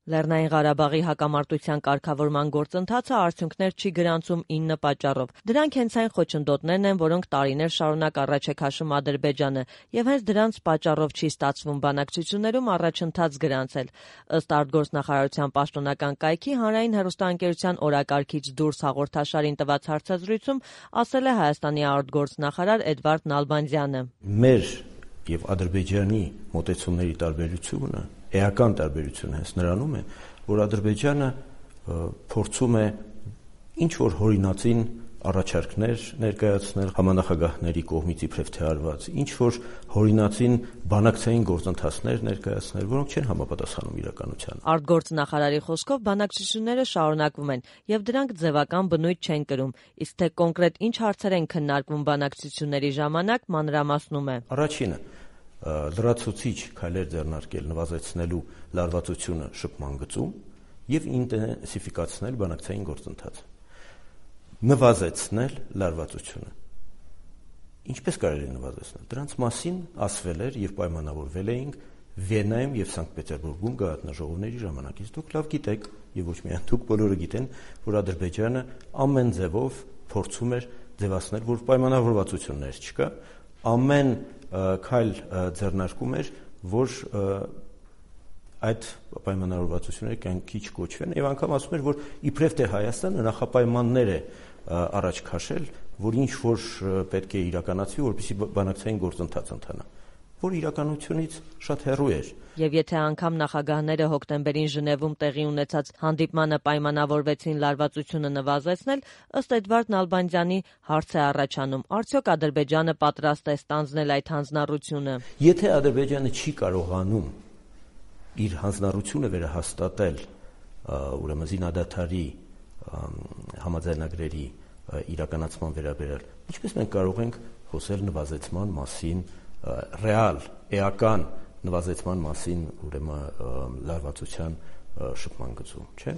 Լեռնային Ղարաբաղի հակամարտության կարգավորման գործընթացը արդյունքներ չի գրանցում 9 պատճառով։ Դրանք հենց այն խոչընդոտներն են, որոնք տարիներ շարունակ առաջ է քաշում Ադրբեջանը, եւ հենց դրանց պատճառով չի ստացվում բանակցություններում առաջընթաց գրանցել։ Ըստ արտգործնախարարության պաշտոնական կայքի հանրային հեռուստաընկերության օրակարգից դուրս հաղորդաշարին տված հարցազրույցում ասել է Հայաստանի արտգործնախարար Էդվարդ Նալբանդյանը։ Մեր եւ Ադրբեջանի մոտեցումների տարբերությունը, էական տարբերությունը հենց նրանում է, որ Ադրբեջանը փորձում է ինչ-որ հորինածին առաջարկներ ներկայացնել համանախագահների կողմից իբրև թե արված, ինչ-որ հորինածին բանակցային գործընթացներ ներկայացնել, որոնք չեն համապատասխանում իրականությանը։ Արտգործնախարարի խոսքով բանակցությունները շարունակվում են եւ դրանք ձևական բնույթ չեն կրում, իսկ թե կոնկրետ ինչ հարցեր են քննարկվում բանակցությունների ժամանակ, մանրամասնում է։ Առաջինը լրացուցիչ քայլեր ձեռնարկել նվազեցնելու լարվածությունը շփման գծում եւ ինտենսիֆիկացնել բանակցային գործընթացը։ Նվազեցնել լարվածությունը։ Ինչպես կարելի է նվազեցնել։ Դրանց մասին ասվել էր եւ պայմանավորվել էինք Վիեննայում եւ Սանկտ Պետերբուրգում գաղտնաժողովների ժամանակից։ Դուք լավ գիտեք եւ ոչ միայն դուք, բոլորը գիտեն, որ Ադրբեջանը ամեն ձևով փորձում էր ձևացնել, որ պայմանավորվածություններ չկա, ամեն քայլ ձեռնարկում էր, որ այդ պայմանավորվածությունները կյանքի չկոչվեն եւ անգամ ասում էր, որ իբրև թե Հայաստանը նախապայմաններ է առաջ քաշել, որ ինչ որ պետք է իրականացվի, որպեսզի բանակցային գործընթաց ընթանա, որ իրականությունից շատ հեռու էր։ Եվ եթե անգամ նախագահները հոկտեմբերին Ժնևում տեղի ունեցած հանդիպմանը պայմանավորվեցին լարվածությունը նվազեցնել, ըստ Էդվարդ Նալբանդյանի հարց է առաջանում. արդյոք Ադրբեջանը պատրաստ է ստանձնել այդ հանձնառությունը։ Եթե Ադրբեջանը չի կարողանում իր հանձնառությունը վերահաստատել, ուրեմն զինադադարի համաձայնագրերի իրականացման վերաբերյալ, ինչպես մենք կարող ենք խոսել նվազեցման մասին, ռեալ, էական նվազեցման մասին, ուրեմն լարվածության շփման գծում, չէ՞։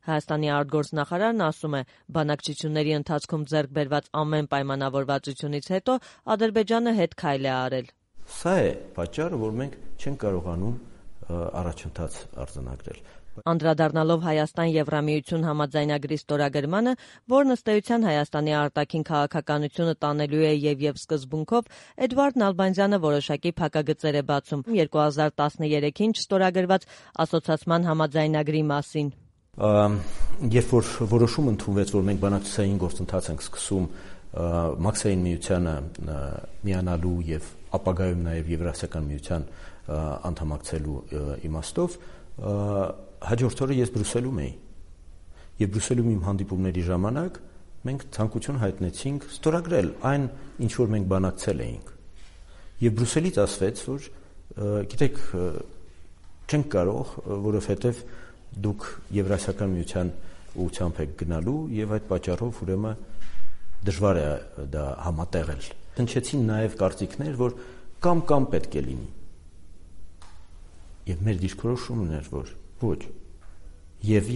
Հայաստանի արտգործնախարարն ասում է, բանակցությունների ընթացքում ձեռք բերված ամեն պայմանավորվածությունից հետո Ադրբեջանը հետ քայլ է արել։ Սա է պատճառը, որ մենք չենք կարողանում առաջընթաց արձանագրել։ Անդրադառնալով Հայաստան-Եվրամիություն համաձայնագրի ստորագրմանը, որն ըստ էության Հայաստանի արտաքին քաղաքականությունը տանելու է եւ սկզբունքով, Էդվարդ Նալբանդյանը որոշակի փակագծեր է բացում 2013-ին չստորագրված ասոցիացիան համաձայնագրի մասին։ Երբ որ որոշում ընդունվեց, որ մենք բանակցային գործընթաց ենք սկսում Մաքսային միությանը միանալու եւ ապագայում նաեւ Եվրասիական միության անդամակցելու իմաստով, հաջորդ օրը ես Բրյուսելում էի եւ Բրյուսելում իմ հանդիպումների ժամանակ մենք ցանկություն հայտնեցինք ստորագրել այն, ինչ որ մենք բանակցել էինք եւ Բրյուսելից ասվեց, որ գիտեք, չենք կարող, որովհետեւ դուք Եվրասիական միության ուղղությամբ եք գնալու եւ այդ պատճառով ուրեմն դժվար է դա համատեղել։ Հնչեցին նաեւ կարծիքներ, որ կամ պետք է լինի։ Եվ մեր դիրքորոշումն էր, որ ոչ, եւ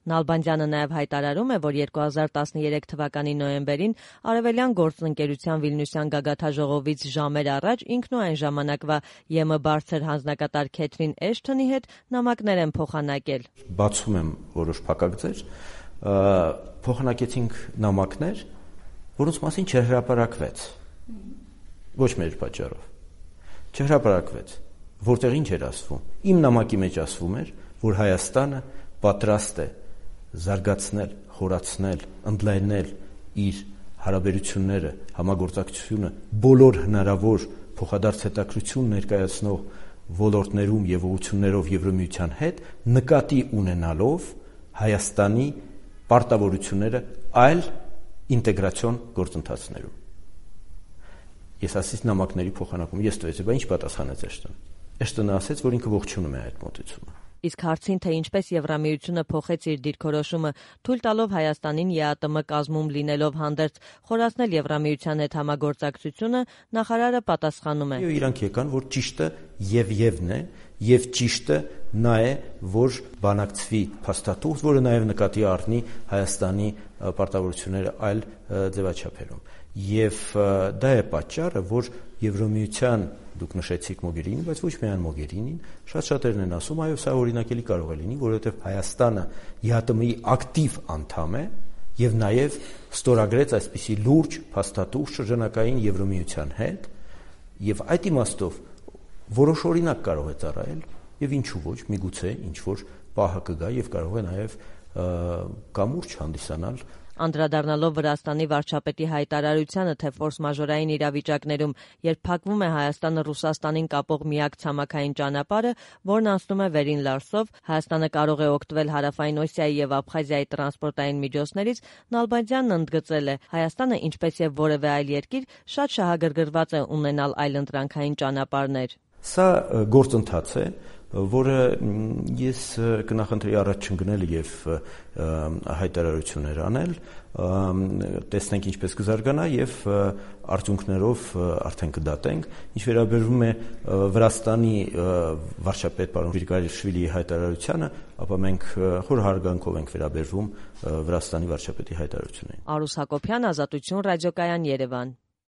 Նալբանդյանը նաև հայտարարում է, որ 2013 թվականի նոյեմբերին Արևելյան գործընկերության Վիլնյուսյան գագաթնաժողովից ժամեր առաջ ինքն ու այն ժամանակվա ԵՄ բարձր հանձնակատար Քեթրին Էշթոնի հետ նամակներ են փոխանակել։ Բացում եմ որոշ փակագծեր, փոխանակեցինք նամակներ, որոնց մասին չհրապարակվեց։ Ոչ մեր պատճառով։ Չհրապարակվեց, որտեղ ինչ էր ասվում։ Իմ նամակի մեջ ասվում էր, որ Հայաստանը պատրաստ է զարգացնել, խորացնել, ընդլայնել իր հարաբերությունները, համագործակցությունը բոլոր հնարավոր փոխադարձ հետաքրքրություն ներկայացնող ոլորտներում եւ ուղղություններով Եվրամիության հետ, նկատի ունենալով Հայաստանի պարտավորությունները այլ ինտեգրացիոն գործընթացներում։ Ես ասից նամակների փոխանակում ես տվեցի, բայց ինչ պատասխանեց Էշտոնը։ Էշտոնը ասեց, որ ինքը ողջունում է այդ մոտեցումը։ Իսկ հարցին, թե ինչպես Եվրամիությունը փոխեց իր դիրքորոշումը, թույլ տալով Հայաստանին ԵԱՏՄ կազմում լինելով հանդերձ խորացնել Եվրամիության հետ համագործակցությունը, նախարարը պատասխանում է. Իրանք եկան, որ ճիշտը եւն է, եւ ճիշտը նա է, որ բանակցվի փաստաթուղթ, որը նաեւ նկատի առնի Հայաստանի պարտավորությունները այլ ձևաչափերում։ Եվ դա է պատճառը, որ Եվրոմիության, դուք նշեցիք Մոգերինին, բայց ոչ միայն Մոգերինին, շատ-շատերն են ասում, այո, սա օրինակելի կարող է լինի, որովհետեւ Հայաստանը ԵԱՏՄ-ի ակտիվ անդամ է եւ նաեւ ստորագրեց այսպիսի լուրջ փաստաթուղթ շրջանակային Եվրոմիության հետ, եւ այդ իմաստով որոշ օրինակ կարող է ծառայել եւ ինչու ոչ, միգուցե ինչ որ պահը կգա եւ կարող է նաեւ կամուրջ հանդիսանալ։ Անդրադառնալով Վրաստանի վարչապետի հայտարարությանը, թե ֆորս-մաժորային իրավիճակներում, երբ փակվում է Հայաստանը Ռուսաստանին կապող միակ ցամաքային ճանապարհը, որն անցնում է Վերին Լարսով, Հայաստանը կարող է օգտվել Հարավային Օսիայի եւ Աբխազիայի տրանսպորտային միջոցներից, Նալբանդյանն ընդգծել է. Հայաստանը, ինչպես եւ որևէ այլ երկիր, շատ շահագրգռված է ունենալ այլընտրանքային ճանապարհներ։ Սա գործընթաց է, որը ես կնախընտրեի առաջ չընկնել եւ հայտարարություններ անել, տեսնենք ինչպես կզարգանա եւ արդյունքներով արդեն կդատենք։ Ինչ վերաբերում է Վրաստանի վարչապետ պարոն Գրիգորյաշվիլիի հայտարարությանը, ապա մենք խոր հարգանքով ենք վերաբերվում Վրաստանի վարչապետի հայտարարություններին։ Արուս Հակոբյան, Ազատություն ռադիոկայան, Երևան։